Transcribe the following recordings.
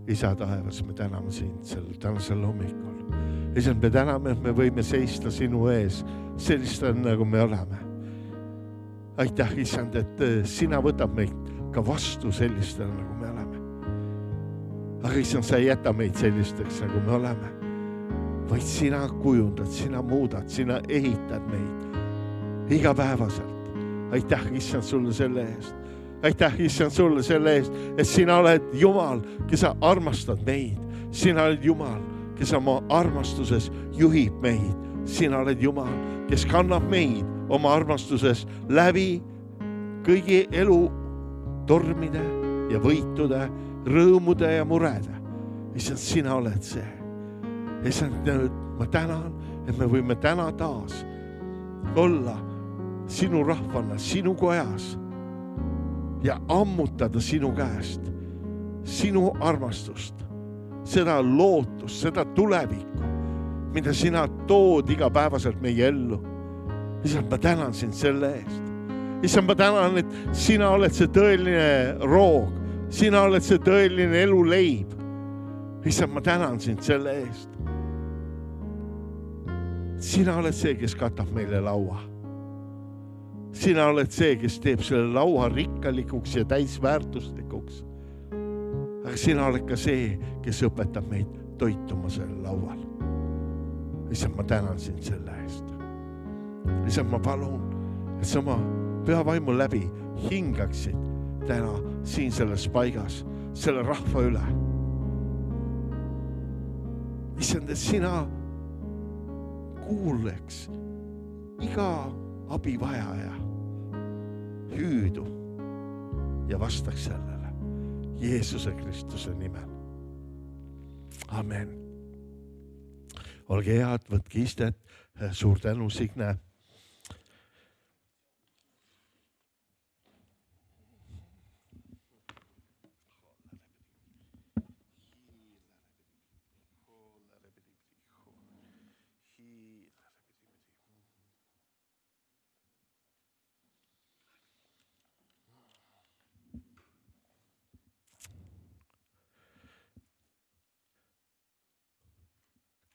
Isa taevas, me täname sind sel tänasel hommikul. Isand, me täname, et me võime seista sinu ees sellistena, nagu me oleme. Aitäh, Isand, et sina võtab meid ka vastu sellistena, nagu me oleme. Aga Isand, sa ei jäta meid sellisteks, nagu me oleme. Vaid sina kujundad, sina muudad, sina ehitad meid igapäevaselt. Aitäh, Isand, sulle selle eest. Aitäh, Isand, sulle selle eest, et sina oled Jumal, kes sa armastad meid. Sina oled Jumal, kes oma armastuses juhib meid. Sina oled Jumal, kes kannab meid oma armastuses läbi kõigi elu tormide ja võitude, rõõmude ja murede. Isand, sina oled see. Isand, ma tänan, et me võime täna taas olla sinu rahvana, sinu kojas ja ammutada sinu käest sinu armastust, seda lootust, seda tulevikku, mida sina tood igapäevaselt meie ellu. Isand, ma tänan sind selle eest. Isand, ma tänan, et sina oled see tõeline roog, sina oled see tõeline eluleib. Isand, ma tänan sind selle eest. Sina oled see, kes katab meile laua. Sina oled see, kes teeb selle laua rikkalikuks ja täisväärtuslikuks. Aga sina oled ka see, kes õpetab meid toituma selle laual. Isand, ma tänan sind selle eest. Isand, ma palun, et sa oma püha vaimu läbi hingaksid täna siin selles paigas, selle rahva üle. Isand, et sina kuuleks iga abivajaja hüüdu ja vastaks sellele Jeesuse Kristuse nimel. Amen. Olge head, võtke istet. Suur tänu, Signe.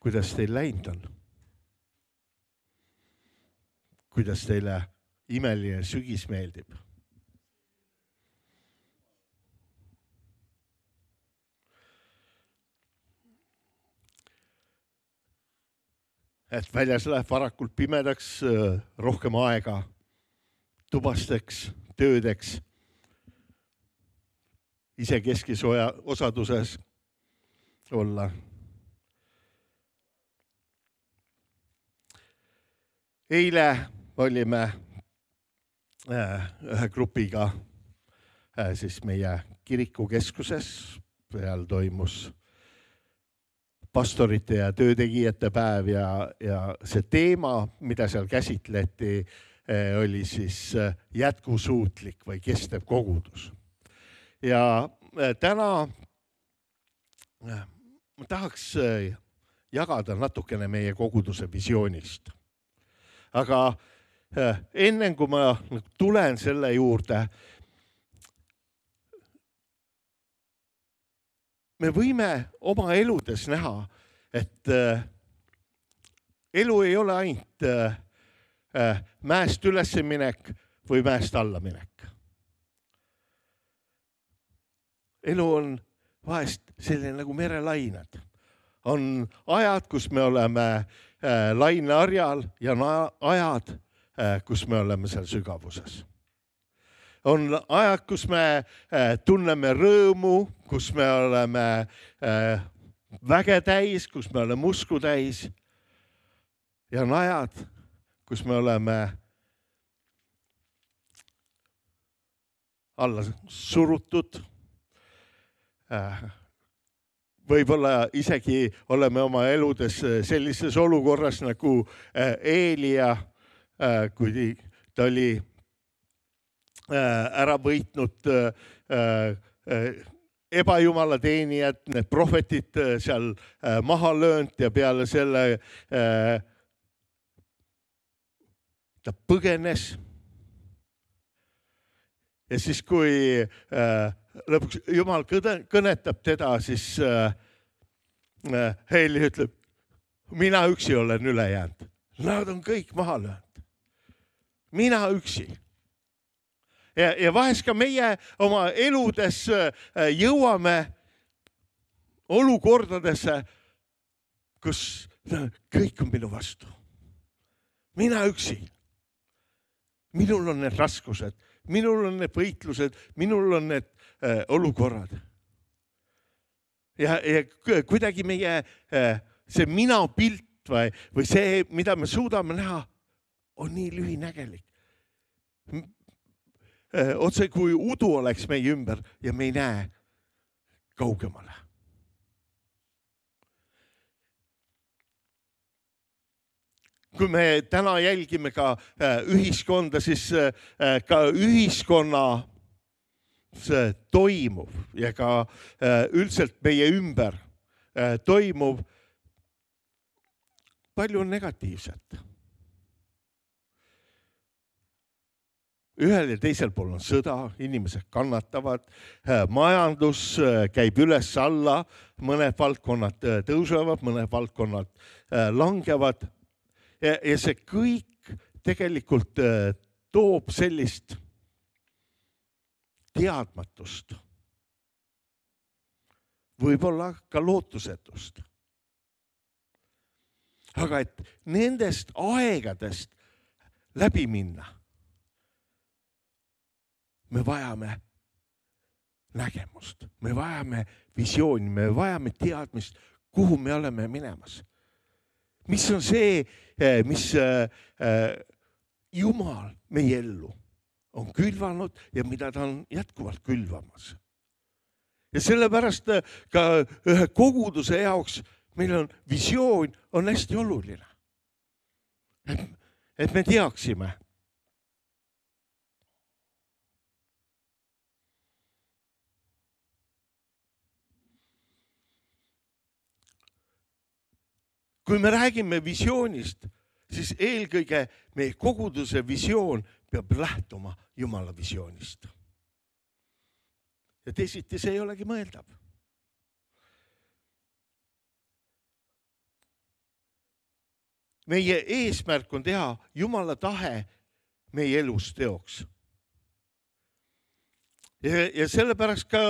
Kuidas teil läinud on? Kuidas teile imeline sügis meeldib? Et väljas läheb varakult pimedaks, rohkem aega tubasteks, töödeks, isekeskis osaduses olla. Eile olime ühe grupiga siis meie kirikukeskuses. Peal toimus pastorite ja töötegijate päev ja see teema, mida seal käsitleti, oli siis jätkusuutlik või kestev kogudus. Ja täna ma tahaks jagada natukene meie koguduse visioonist. Aga enne kui ma tulen selle juurde, me võime oma eludes näha, et elu ei ole ainult mäest üles minek või mäest alla minek. Elu on vahest selline nagu merelained. On ajad, kus me oleme laineharjal ja ajad, kus me oleme seal sügavuses. On ajad, kus me tunneme rõõmu, kus me oleme väge täis, kus me oleme usku täis. Ja on ajad, kus me oleme alla surutud. Võib-olla isegi oleme oma eludes sellises olukorras nagu Eelia, kui ta oli ära võitnud ebajumala teenijad, need prohvetid seal maha löönud ja peale selle ta põgenes. Ja siis kui lõpuks Jumal kõnetab teda, siis Heili ütleb, mina üksi olen üle jäänud. Nad on kõik maha löönud. Mina üksi. Ja vahest ka meie oma eludes jõuame olukordadesse, kus kõik on minu vastu. Mina üksi. Minul on need raskused, minul on need võitlused, minul on need olukorrad. Ja kuidagi meie see mina pilt või see, mida me suudame näha, on nii lühinägelik. Otse kui udu oleks meie ümber ja me ei näe kaugemale. Kui me täna jälgime ka ühiskonda, siis ka ühiskonna toimuv ja ka üldiselt meie ümber toimuv palju on negatiivset. Ühel ja teisel pool on sõda, inimesed kannatavad, majandus käib üles alla, mõned valdkonnad tõusevad, mõned valdkonnad langevad ja see kõik tegelikult toob sellist teadmatust, võib-olla ka lootusetust. Aga et nendest aegadest läbi minna, me vajame nägemust, me vajame visiooni, me vajame teadmist, kuhu me oleme minemas. Mis on see, mis Jumal meie ellu on külvanud ja mida ta on jätkuvalt külvamas. Ja sellepärast ka ühe koguduse jaoks meil on visioon on hästi oluline. Et me teaksime. Kui me räägime visioonist, siis eelkõige meie koguduse visioon peab lähtuma Jumala visioonist. Ja teisiti see ei olegi mõeldav. Meie eesmärk on teha Jumala tahe meie elus teoks. Ja sellepärast ka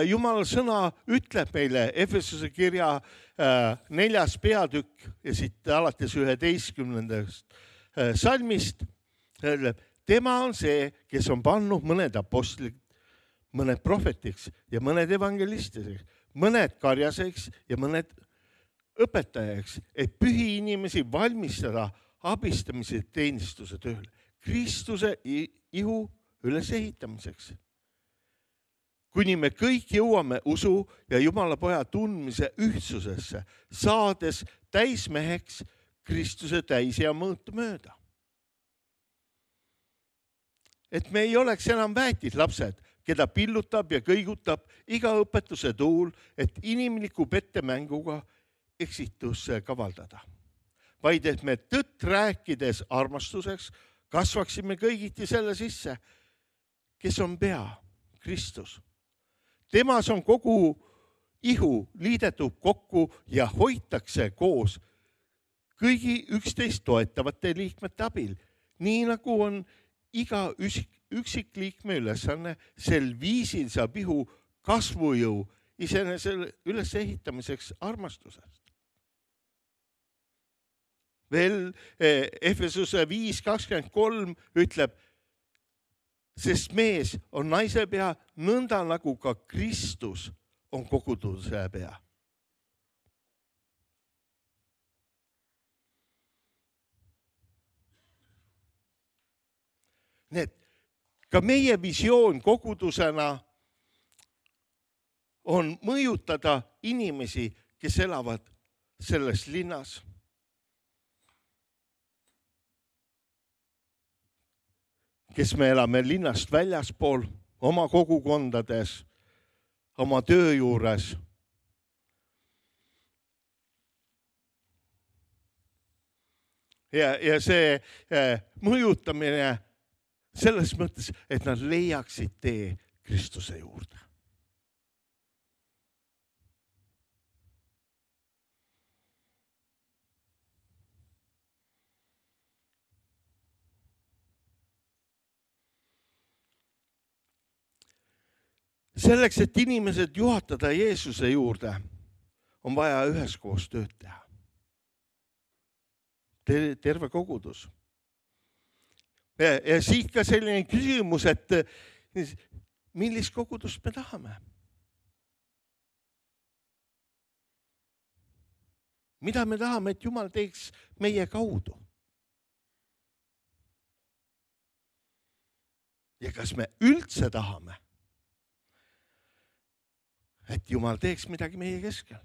Jumala sõna ütleb meile Efesuse kirja 4. peatükk ja siit alates 11. salmist. Tema on see, kes on pannud mõned apostlid, mõned prohvetiks ja mõned evangelistideks, mõned karjaseks ja mõned õpetajaks, et pühi inimesi valmistada abistamise teenistuse tööle, Kristuse ihu ülesehitamiseks. Kuni me kõik jõuame usu ja Jumala poja tundmise ühtsusesse, saades täismeheks Kristuse täisea mõõtu mööda. Et me ei oleks enam väetid lapsed, keda pillutab ja kõigutab iga õpetuse tuul, et inimliku pettemänguga eksitusse kavaldada. Vaid et me tõtt rääkides armastuseks kasvaksime kõigiti selle sisse, kes on pea, Kristus. Temas on kogu ihu liidetud kokku ja hoitakse koos kõigi üksteist toetavate liikmete abil, nii nagu on iga üksikliikme ülesanne, sel viisil saab ihu kasvujõu iseenesel ülesehitamiseks armastusest. Veel Efesuse 5.23 ütleb, sest mees on naise pea nõnda nagu ka Kristus on koguduse pea. Nii et ka meie visioon kogudusena on mõjutada inimesi, kes elavad selles linnas. Kes me elame linnast väljaspool, oma kogukondades, oma töö juures. Ja see mõjutamine selles mõttes, et nad leiaksid tee Kristuse juurde. selleks, et inimesed juhatada Jeesuse juurde, on vaja üheskoos tööd teha. Terve kogudus. Ja siit ka selline küsimus, et millist kogudust me tahame? Mida me tahame, et Jumal teeks meie kaudu? Ja kas me üldse tahame, et Jumal teeks midagi meie keskel?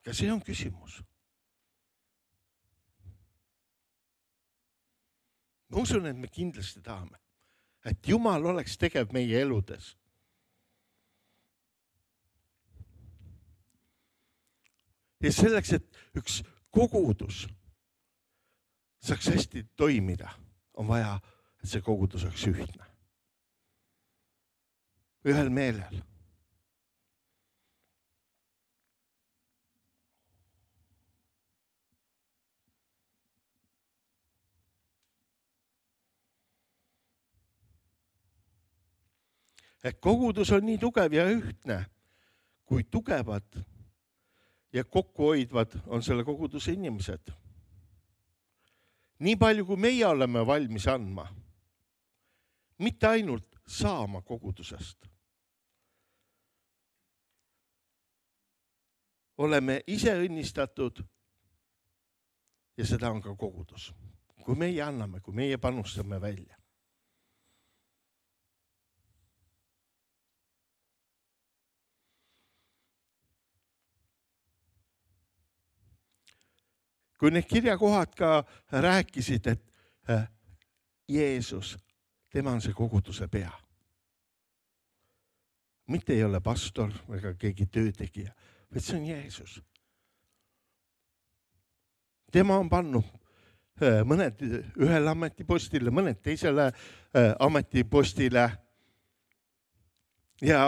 Ka see on küsimus. Ma usun, et me kindlasti tahame, et Jumal oleks tegev meie eludes. Ja selleks, et üks kogudus saaks hästi toimida, on vaja, et see kogudus oleks ühtne. Ühel meelel. Et kogudus on nii tugev ja ühtne, kui tugevad ja kokkuhoidvad on selle koguduse inimesed. Nii palju, kui meie oleme valmis andma, mitte ainult saama kogudusest. Oleme ise õnnistatud ja seda on ka kogudus. Kui meie anname, kui meie panustame välja. Kui need kirjakohad ka rääkisid, et Jeesus, tema on see koguduse pea. Mitte ei ole pastor ega keegi töötegija, vaid see on Jeesus. Tema on pannud mõned ühele ametipostile, mõned teisele ametipostile ja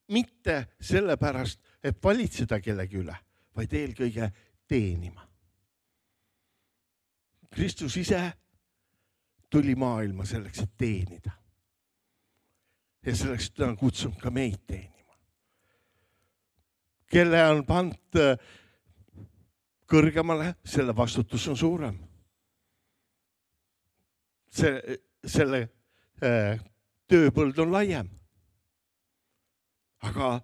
mitte sellepärast, et valitseda kellegi üle, vaid eelkõige teenima. Kristus ise tuli maailma selleks, et teenida. Ja selleks ta on kutsunud ka meid teenima. Kelle on pant kõrgemale, selle vastutus on suurem. Selle tööpõld on laiem. Aga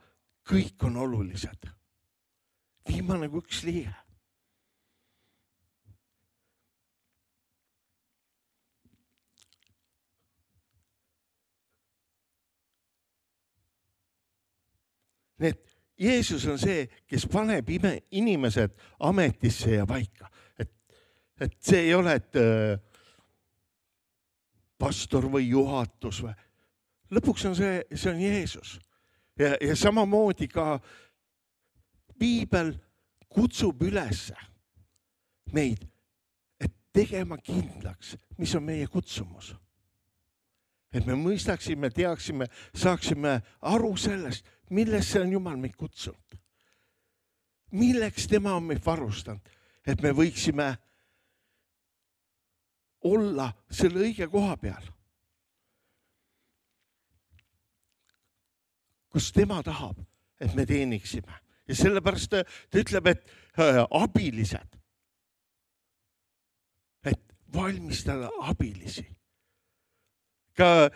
kõik on olulised. Viimane kui üks liige. Need Jeesus on see, kes paneb inimesed ametisse ja paika. Et see ei ole, et pastor või juhatus. Lõpuks on see on Jeesus. Ja samamoodi ka Piibel kutsub üles meid, et tegema kindlaks, mis on meie kutsumus. Et me mõistaksime, teaksime, saaksime aru sellest, millesse on Jumal meid kutsunud. Milleks tema on meid varustanud, et me võiksime olla selle õige koha peal. Kus tema tahab, et me teeniksime. Ja sellepärast ta ütleb, et abilised. Et valmistada abilisi. Ka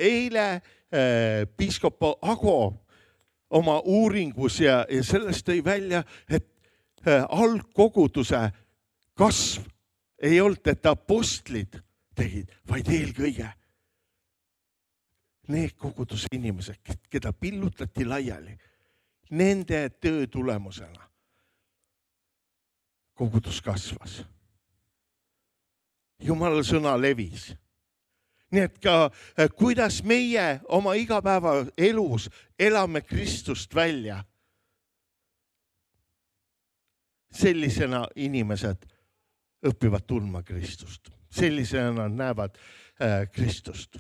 eile piiskop Ago oma uuringus ja sellest tõi välja, et algkoguduse kasv ei olnud, et apostlid tegid, vaid eelkõige need koguduse inimesed, keda pillutati laiali, nende töö tulemusena kogudus kasvas. Jumala sõna levis. Nii et ka kuidas meie oma igapäeva elus elame Kristust välja, sellisena inimesed õpivad tundma Kristust. Sellisena näevad Kristust.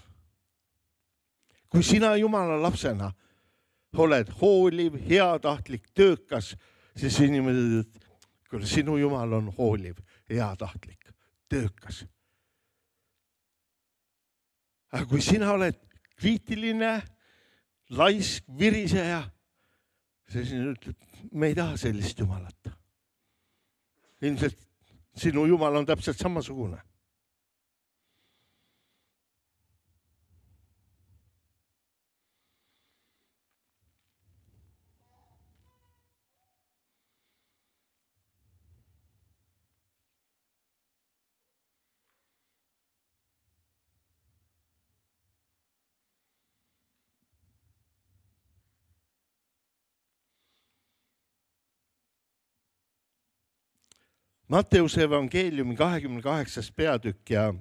Kui sina Jumala lapsena oled hooliv, heatahtlik, töökas, siis inimesed, kui sinu Jumal on hooliv, heatahtlik, töökas. Aga kui sina oled kriitiline, laisk, viriseja. See siin ütleb, me ei taha sellist Jumalat. Ilmselt sinu Jumal on täpselt samasugune. Matteuse evangeeliumi 28. peatükk ja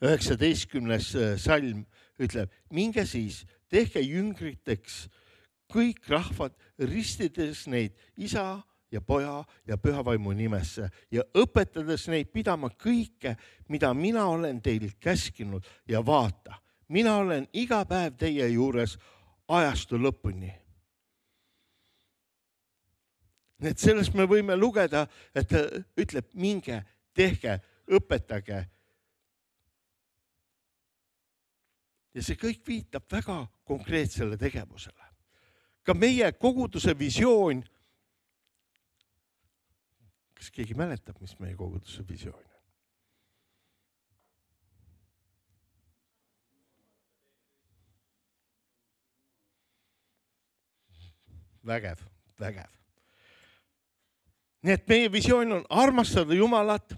19. salm ütleb, minge siis, tehke jüngriteks kõik rahvad, ristides neid isa ja poja ja pühavaimu nimesse ja õpetades neid pidama kõike, mida mina olen teil käskinud ja vaata, mina olen iga päev teie juures ajastu lõpuni. Et sellest me võime lugeda, et ta ütleb, minge, tehke, õpetage. Ja see kõik viitab väga konkreetsele tegevusele. Ka meie koguduse visioon, kas keegi mäletab, mis meie koguduse visioon on? Vägev. Nii et meie visioon on armastada Jumalat,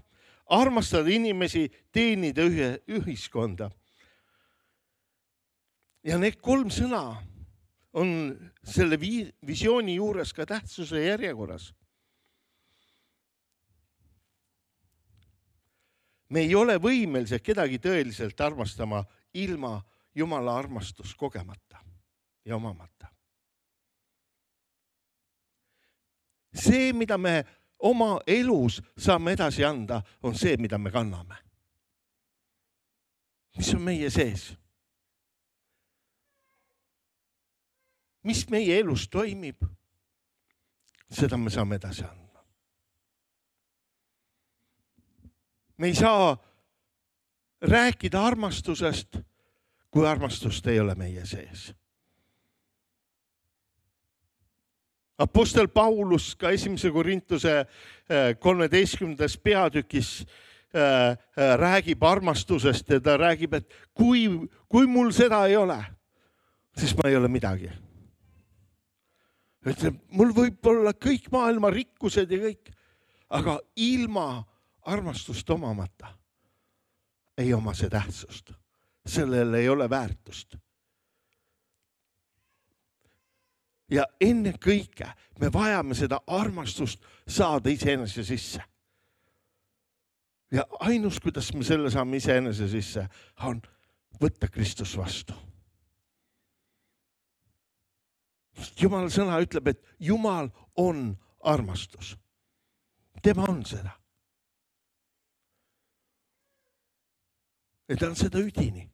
armastada inimesi, teenida ühiskonda. Ja need 3 sõna on selle visiooni juures ka tähtsuse järjekorras. Me ei ole võimelised kedagi tõeliselt armastama ilma Jumala armastust kogemata ja omamata. See, mida me oma elus saame edasi anda, on see, mida me kanname. Mis on meie sees? Mis meie elus toimib, seda me saame edasi anda. Me ei saa rääkida armastusest, kui armastust ei ole meie sees. Apostel Paulus ka 1. Korintuse 13. peatükis räägib armastusest ja ta räägib, et kui mul seda ei ole, siis ma ei ole midagi. Ütleb, mul võib olla kõik maailma rikkused ja kõik, aga ilma armastust omamata ei oma see tähtsust. Sellel ei ole väärtust. Ja enne kõike me vajame seda armastust saada iseenese sisse. Ja ainus, kuidas me selle saame iseenese sisse, on võtta Kristus vastu. Jumala sõna ütleb, et Jumal on armastus. Tema on seda. Ja ta on seda üdini.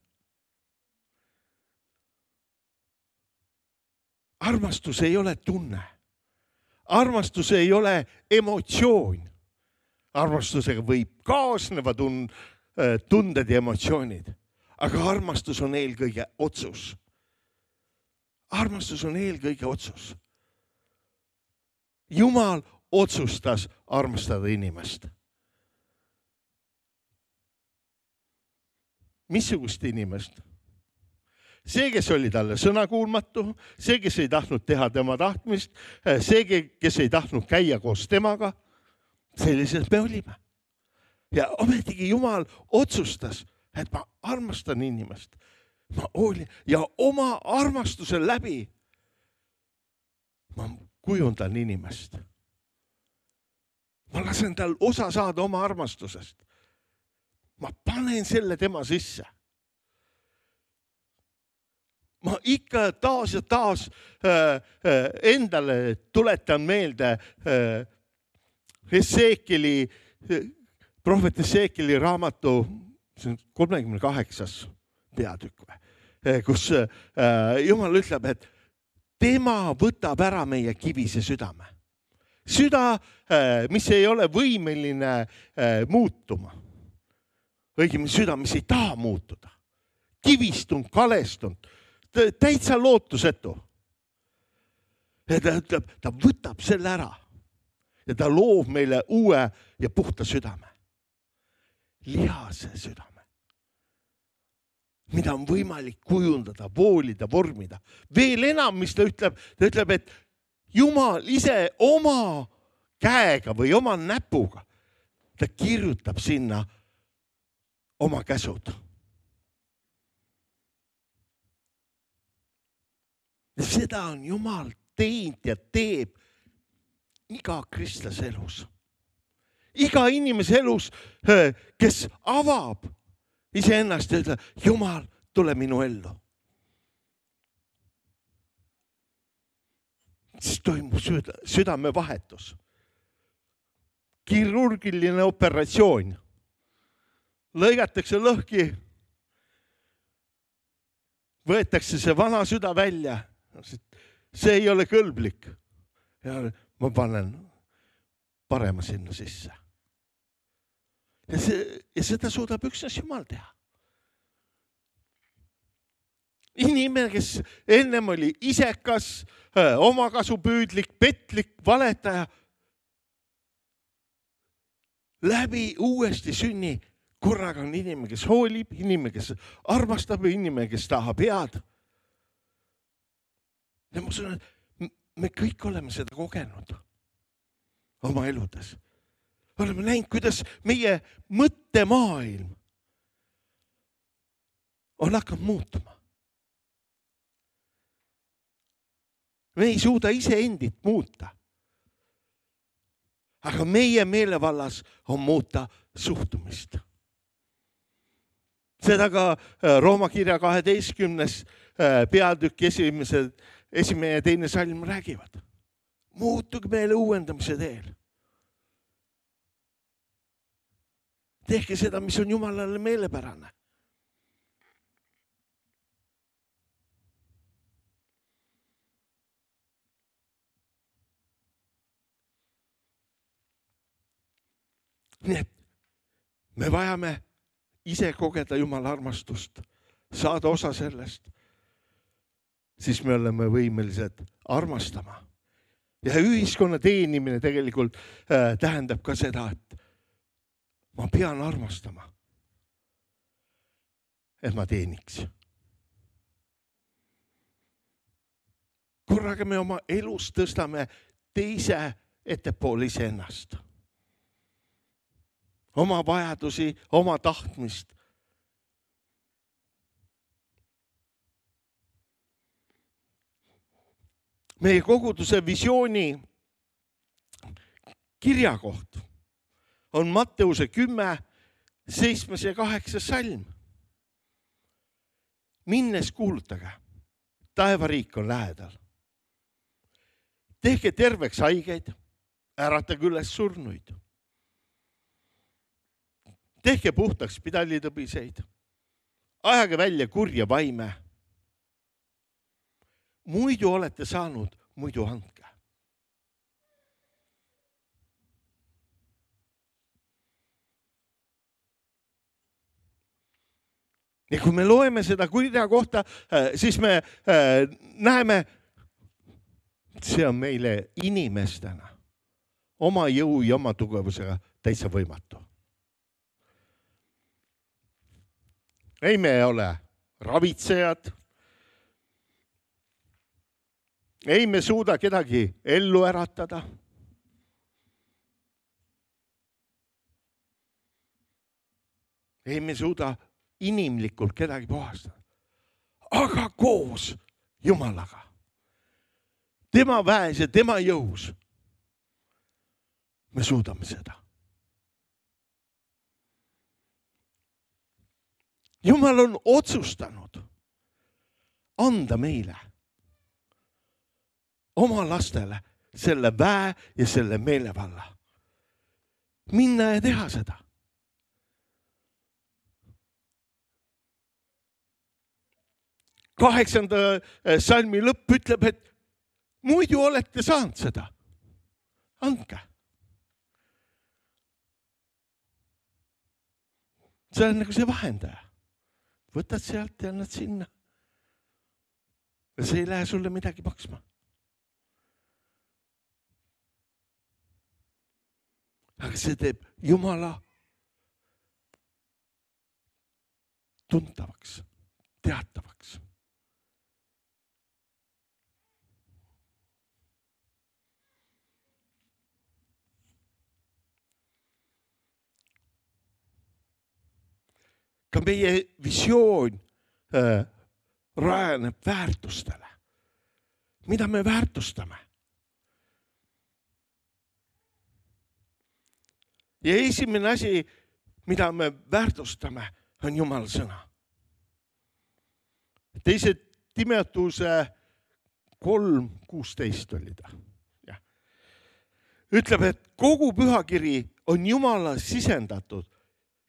Armastus ei ole tunne. Armastus ei ole emotsioon. Armastusega võib kaasneva tunded ja emotsioonid. Aga armastus on eelkõige otsus. Armastus on eelkõige otsus. Jumal otsustas armastada inimest. Missugust inimest? See, kes oli talle sõnakuulmatu, see, kes ei tahtnud teha tema tahtmist, see, kes ei tahtnud käia koos temaga, selliselt me olime. Ja ometigi Jumal otsustas, et ma armastan inimest. Ma hoolin ja oma armastuse läbi ma kujundan inimest. Ma lasen tal osa saada oma armastusest. Ma panen selle tema sisse. Ma ikka taas ja taas endale tuletan meelde prohvet Esekieli raamatu 38. peatükk, kus Jumal ütleb, et tema võtab ära meie kivise südame. Süda, mis ei ole võimeline muutuma. Õigemini süda, mis ei taha muutuda. kivistunud, kalestunud, täitsa lootusetu. Ja ta ütleb, ta võtab selle ära ja ta loob meile uue ja puhta südame. Lihase südame, mida on võimalik kujundada, voolida, vormida. Veel enam, mis ta ütleb, et Jumal ise oma käega või oma näpuga, ta kirjutab sinna oma käsud. Ja seda on Jumal teinud ja teeb iga kristlase elus. Iga inimese elus, kes avab iseennast ja ütleb, Jumal, tule minu ellu. Siis toimub südamevahetus. Kirurgiline operatsioon. Lõigatakse lõhki, võetakse see vana süda välja. See ei ole kõlblik. Ja ma panen parema sinna sisse. Ja seda suudab üksnes Jumal teha. Inimene, kes ennem oli isekas, omakasupüüdlik, petlik, valetaja, läbi uuesti sünni korraga on inimene, kes hoolib, inimene, kes armastab, inimene, kes tahab head. Ja ma usun, et me kõik oleme seda kogenud oma eludes. Oleme näinud, kuidas meie mõttemaailm on hakanud muutuma. Me ei suuda iseendit muuta. Aga meie meelevallas on muuta suhtumist. Seda ka Rooma kirja 12. peatükk esimene ja teine salm räägivad. Muutuge meile uuendamise teel. Tehke seda, mis on Jumalale meelepärane. Nii et me vajame ise kogeda Jumala armastust, saada osa sellest, siis me oleme võimelised armastama. Ja ühiskonna teenimine tegelikult tähendab ka seda, et ma pean armastama, et ma teeniks. Korraga me oma elus tõstame teise ettepoole iseennast. Oma vajadusi, oma tahtmist. Meie koguduse visiooni kirjakoht on Matteuse 10, 7 ja 8 salm. Minnes kuulutage, taevariik on lähedal. Tehke terveks haigeid, äratage üles surnuid. Tehke puhtaks pidalitõbiseid, ajage välja kurja vaime. Muidu olete saanud, muidu andke. Ja kui me loeme seda kurja kohta, siis me näeme, see on meile inimestena oma jõu ja oma tugevusega täitsa võimatu. Ei me ole ravitsejad. Ei me suuda kedagi ellu äratada. Ei me suuda inimlikult kedagi puhastada. Aga koos Jumalaga. Tema väes ja tema jõus. Me suudame seda. Jumal on otsustanud anda meile, oma lastele, selle väe ja selle meelevalla. Minna ja teha seda. Kaheksanda salmi lõpp ütleb, et muidu olete saanud seda. Andke. See on nagu see vahendaja. võtad sealt ja annad sinna. Ja see ei lähe sulle midagi maksma. Aga see teeb Jumala tuntavaks, teatavaks. Ka meie visioon rajaneb väärtustele. Mida me väärtustame? Ja esimene asi, mida me väärtustame, on Jumala sõna. Teise Timoteuse 3:16 oli ta. Ja. Ütleb, et kogu pühakiri on Jumala sisendatud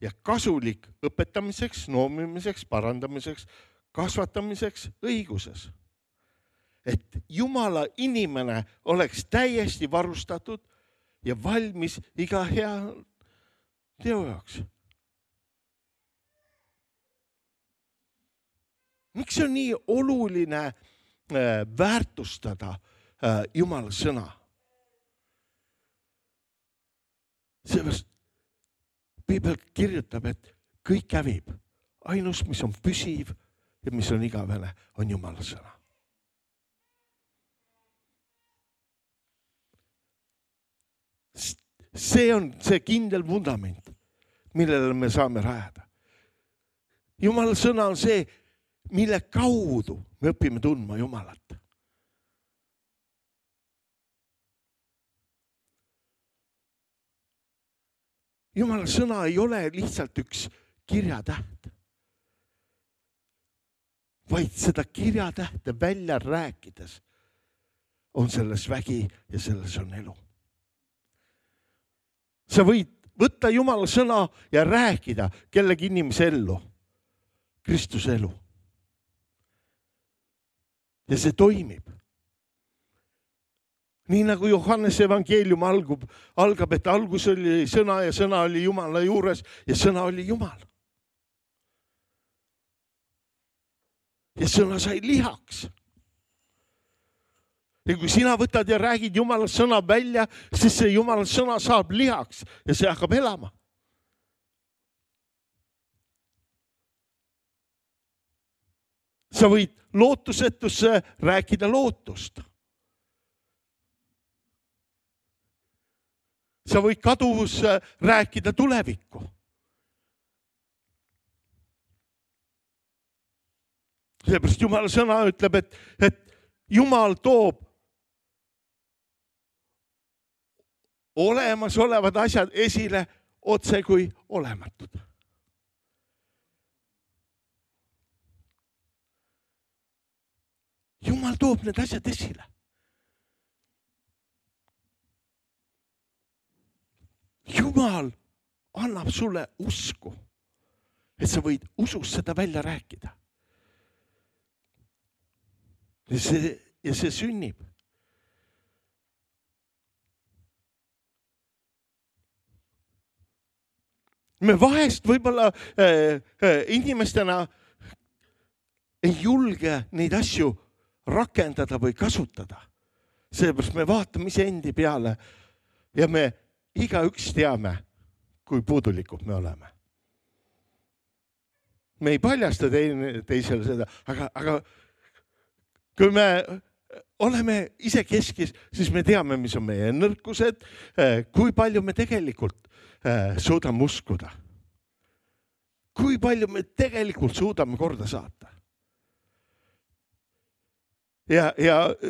ja kasulik õpetamiseks, noomimiseks, parandamiseks, kasvatamiseks õiguses. Et Jumala inimene oleks täiesti varustatud ja valmis iga hea teo jaoks. Miks on nii oluline väärtustada Jumala sõna? Seepärast Piibel kirjutab, et kõik hävib. Ainus, mis on püsiv ja mis on igavene, on Jumala sõna. See on see kindel vundament, millele me saame rajada. Jumala sõna on see, mille kaudu me õpime tundma Jumalat. Jumala sõna ei ole lihtsalt üks kirjatäht, vaid seda kirjatähte välja rääkides on selles vägi ja selles on elu. Sa võid võtta Jumala sõna ja rääkida kellegi inimese ellu, Kristuse elu. Ja see toimib. Nii nagu Johannese evangeelium algab, et algus oli sõna ja sõna oli Jumala juures ja sõna oli Jumal. Ja sõna sai lihaks. Ja kui sina võtad ja räägid Jumala sõna välja, siis see Jumala sõna saab lihaks ja see hakkab elama. Sa võid lootusetusse rääkida lootust. Sa võid kaduvusse rääkida tulevikku. Seepärast Jumala sõna ütleb, et Jumal toob olemasolevad asjad esile otse kui olematud. Jumal toob need asjad esile. Jumal annab sulle usku, et sa võid usust seda välja rääkida. Ja see sünnib. Me vahest võib-olla inimestena ei julge neid asju rakendada või kasutada. Seepärast me vaatame iseendi peale ja me igaüks teame, kui puudulikud me oleme. Me ei paljasta teisele seda, aga kui me oleme ise keskis, siis me teame, mis on meie nõrkused, kui palju me tegelikult suudame uskuda. Kui palju me tegelikult suudame korda saata. Ja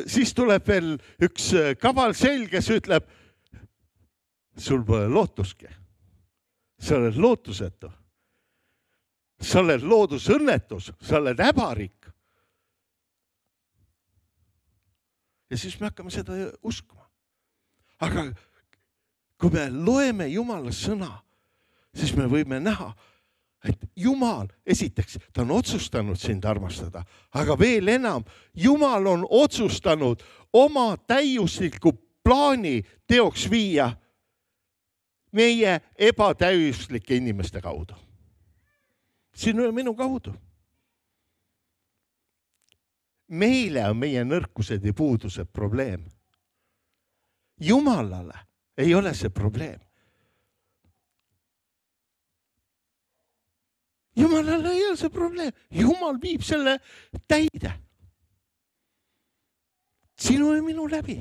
siis tuleb veel üks kaval selg, kes ütleb, sul pole lootuski. Sa oled lootusetu. Sa oled loodusõnnetus, sa oled häbarik. Ja siis me hakkame seda uskuma. Aga kui me loeme Jumala sõna, siis me võime näha, et Jumal, esiteks, ta on otsustanud sind armastada, aga veel enam, Jumal on otsustanud oma täiusliku plaani teoks viia meie ebatäiuslike inimeste kaudu. Sinu ja minu kaudu. meile on meie nõrkused ja puudused probleem. Jumalale ei ole see probleem. Jumalale ei ole see probleem. Jumal viib selle täide. Sinu ja minu läbi.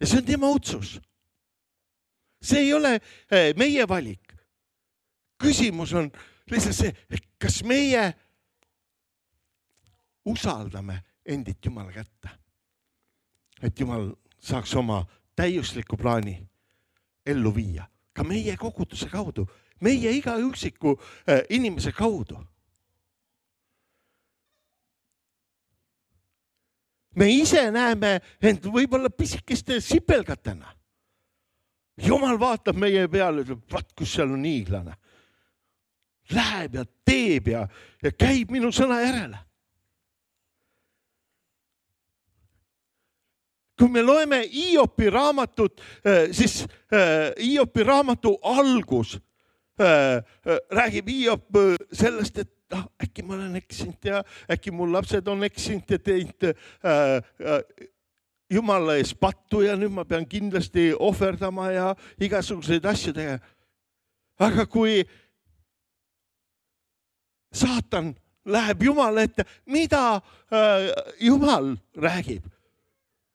Ja see on tema otsus. See ei ole meie valik. Küsimus on lihtsalt see, kas meie usaldame endit Jumala kätte. Et Jumal saaks oma täiusliku plaani ellu viia. Ka meie koguduse kaudu. Meie iga üksiku inimese kaudu. Me ise näeme end võib-olla pisikeste sipelgatena. Jumal vaatab meie peale, ütleb, vaat kus seal on hiiglane. Läheb ja teeb ja käib minu sõna järele. Kui me loeme Hiopi raamatut, siis Hiopi raamatu algus räägib Hiop sellest, et äkki ma olen eksinud ja äkki mul lapsed on eksinud ja teinud Jumala ees pattu ja nüüd ma pean kindlasti ohverdama ja igasuguseid asju tegema. Aga kui saatan läheb Jumala ette, mida Jumal räägib?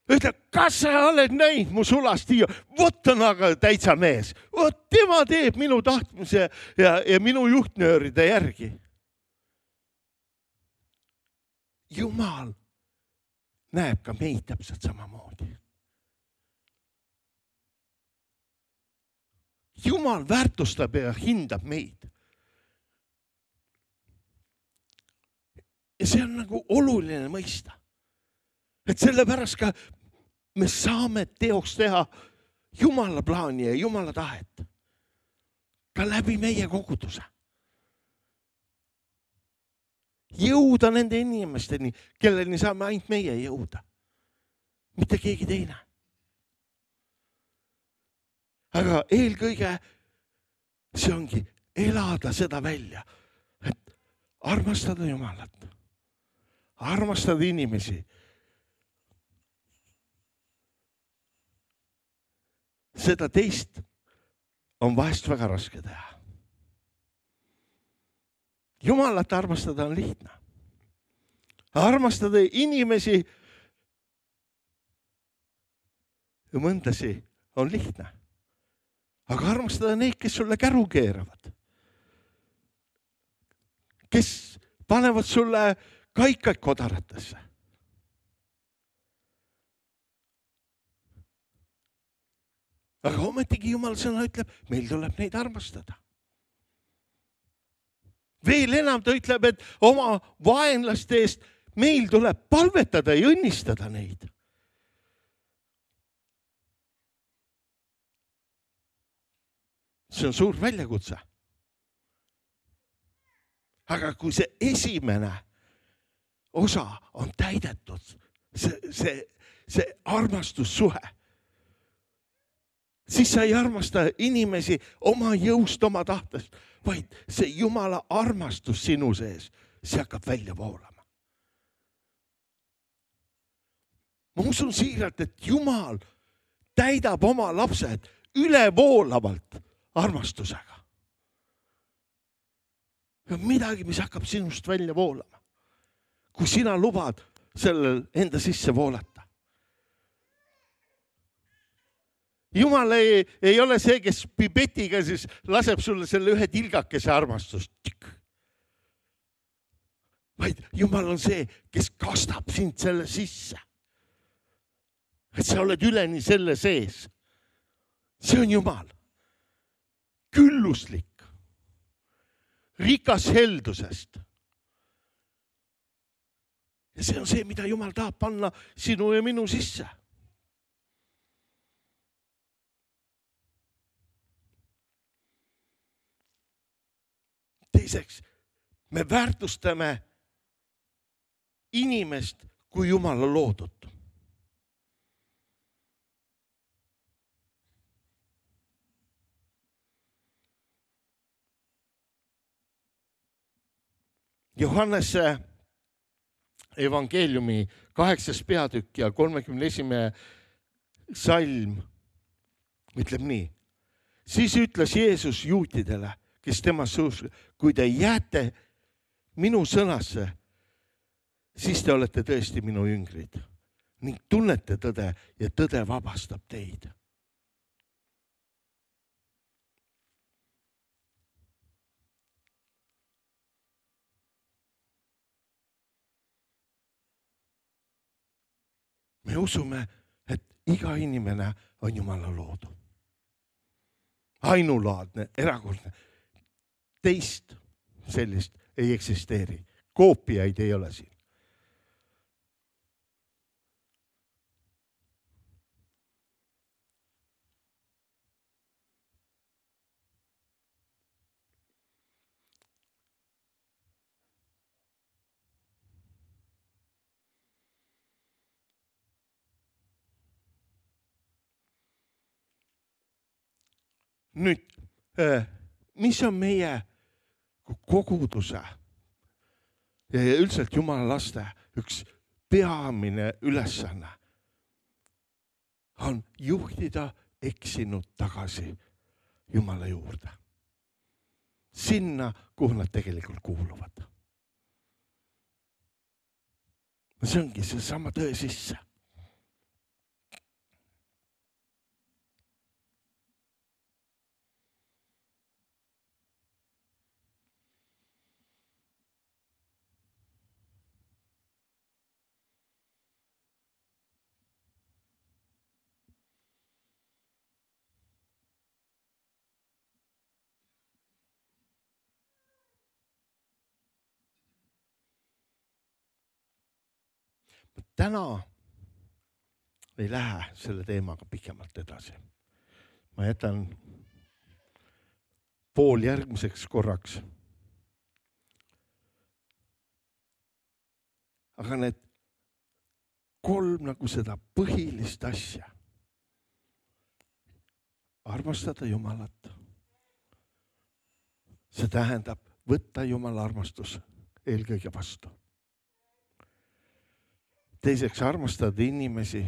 Ütleb, kas sa oled näinud mu sulast Hiop? Vot on aga täitsa mees. Vot tema teeb minu tahtmise ja minu juhtnööride järgi. Jumal näeb ka meid täpselt samamoodi. Jumal väärtustab ja hindab meid. Ja see on nagu oluline mõista. Et sellepärast ka me saame teoks teha Jumala plaani ja Jumala tahet. Ka läbi meie koguduse. Jõuda nende inimesteni, kelleni saame ainult meie jõuda. Mitte keegi teine. Aga eelkõige see ongi elada seda välja. Et armastada Jumalat. Armastada inimesi. Seda teist on vahest väga raske teha. Jumalat armastada on lihtne. Armastada inimesi ja mõndasi on lihtne. Aga armastada neid, kes sulle käru keeravad. Kes panevad sulle kaikaid kodaratesse. Aga ometigi Jumal sõna ütleb, meil tuleb neid armastada. Veel enam ta ütleb, et oma vaenlaste eest meil tuleb palvetada ja õnnistada neid. See on suur väljakutse. Aga kui see esimene osa on täidetud, see armastussuhe, siis sa ei armasta inimesi oma jõust, oma tahtest, vaid see Jumala armastus sinu sees, see hakkab välja voolama. Ma usun siiralt, et Jumal täidab oma lapsed ülevoolavalt armastusega. Midagi, mis hakkab sinust välja voolama. Kui sina lubad sellel enda sisse voolata. Jumal ei ole see, kes pipetiga siis laseb sulle selle ühe tilgakese armastust. Vaid Jumal on see, kes kastab sind selle sisse. Et sa oled üleni selle sees. See on Jumal. Külluslik. Rikas heldusest. Ja see on see, mida Jumal tahab panna sinu ja minu sisse. Teiseks, me väärtustame inimest kui Jumala loodut. Johannese evangeeliumi 8. peatükk ja 31. salm ütleb nii. Siis ütles Jeesus juutidele, kes temasse uskusid, kui te jääte minu sõnasse, siis te olete tõesti minu jüngrid ning tunnete tõde ja tõde vabastab teid. Me usume, et iga inimene on Jumala loodu. Ainulaadne, erakordne. Teist sellist ei eksisteeri. Koopiaid ei ole siin. Nüüd, mis on meie koguduse ja üldiselt Jumala laste üks peamine ülesanne on juhtida eksinud tagasi Jumala juurde. Sinna, kuhu nad tegelikult kuuluvad. See ongi see sama tõe sisse. Täna ei lähe selle teemaga pikemalt edasi. Ma jätan pool järgmiseks korraks. Aga need 3 nagu seda põhilist asja. Armastada Jumalat. See tähendab võtta Jumala armastus eelkõige vastu. Teiseks, armastada inimesi,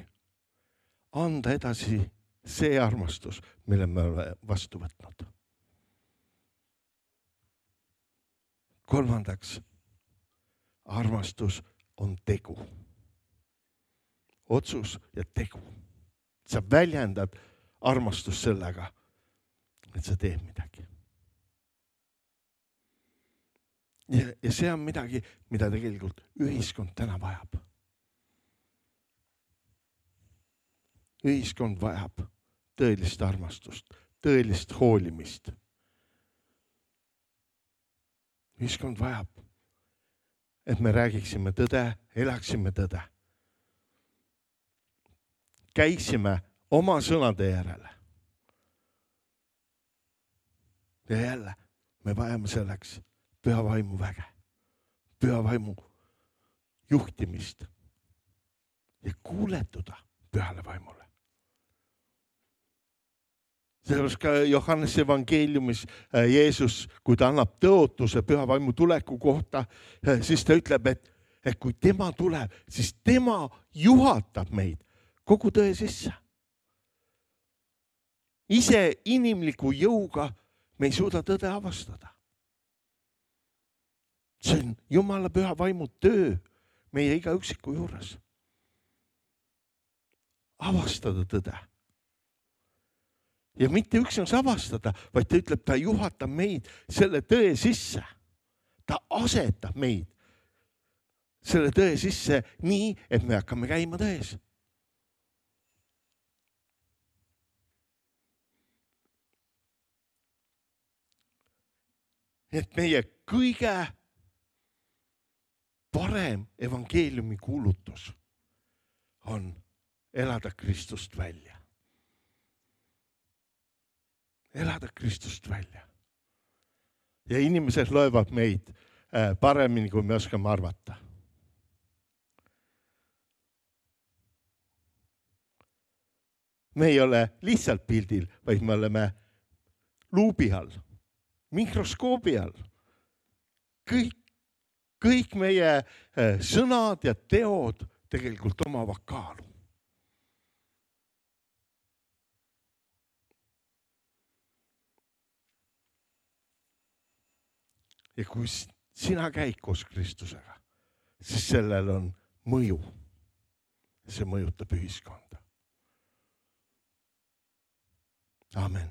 anda edasi see armastus, mille me oleme vastu võtnud. Kolmandaks, armastus on tegu. Otsus ja tegu. Sa väljendad armastust sellega, et sa teed midagi. Ja see on midagi, mida tegelikult ühiskond täna vajab. Ühiskond vajab tõelist armastust, tõelist hoolimist. Ühiskond vajab, et me räägiksime tõde, elaksime tõde. Käiksime oma sõnade järele. Ja jälle, me vajame selleks püha vaimu väge, püha vaimu juhtimist ja kuuletuda pühale vaimule. Sellepärast ka Johannes evangeeliumis Jeesus, kui ta annab tõotuse püha vaimu tuleku kohta, siis ta ütleb, et kui tema tuleb, siis tema juhatab meid kogu tõe sisse. Ise inimliku jõuga me ei suuda tõde avastada. See on Jumala püha vaimu töö meie iga üksiku juures. Avastada tõde. Ja mitte üksnes avastada, vaid ta ütleb, ta juhatab meid selle tõe sisse. Ta asetab meid selle tõe sisse nii, et me hakkame käima tões. Et meie kõige parem evangeeliumi kuulutus on elada Kristust välja. Elada Kristust välja. Ja inimesed loevad meid paremini, kui me oskame arvata. Me ei ole lihtsalt pildil, vaid me oleme luubi all, mikroskoobi all. Kõik kõik meie sõnad ja teod tegelikult omavad kaalu. Ja kui sina käid koos Kristusega, siis sellel on mõju. See mõjutab ühiskonda. Amen.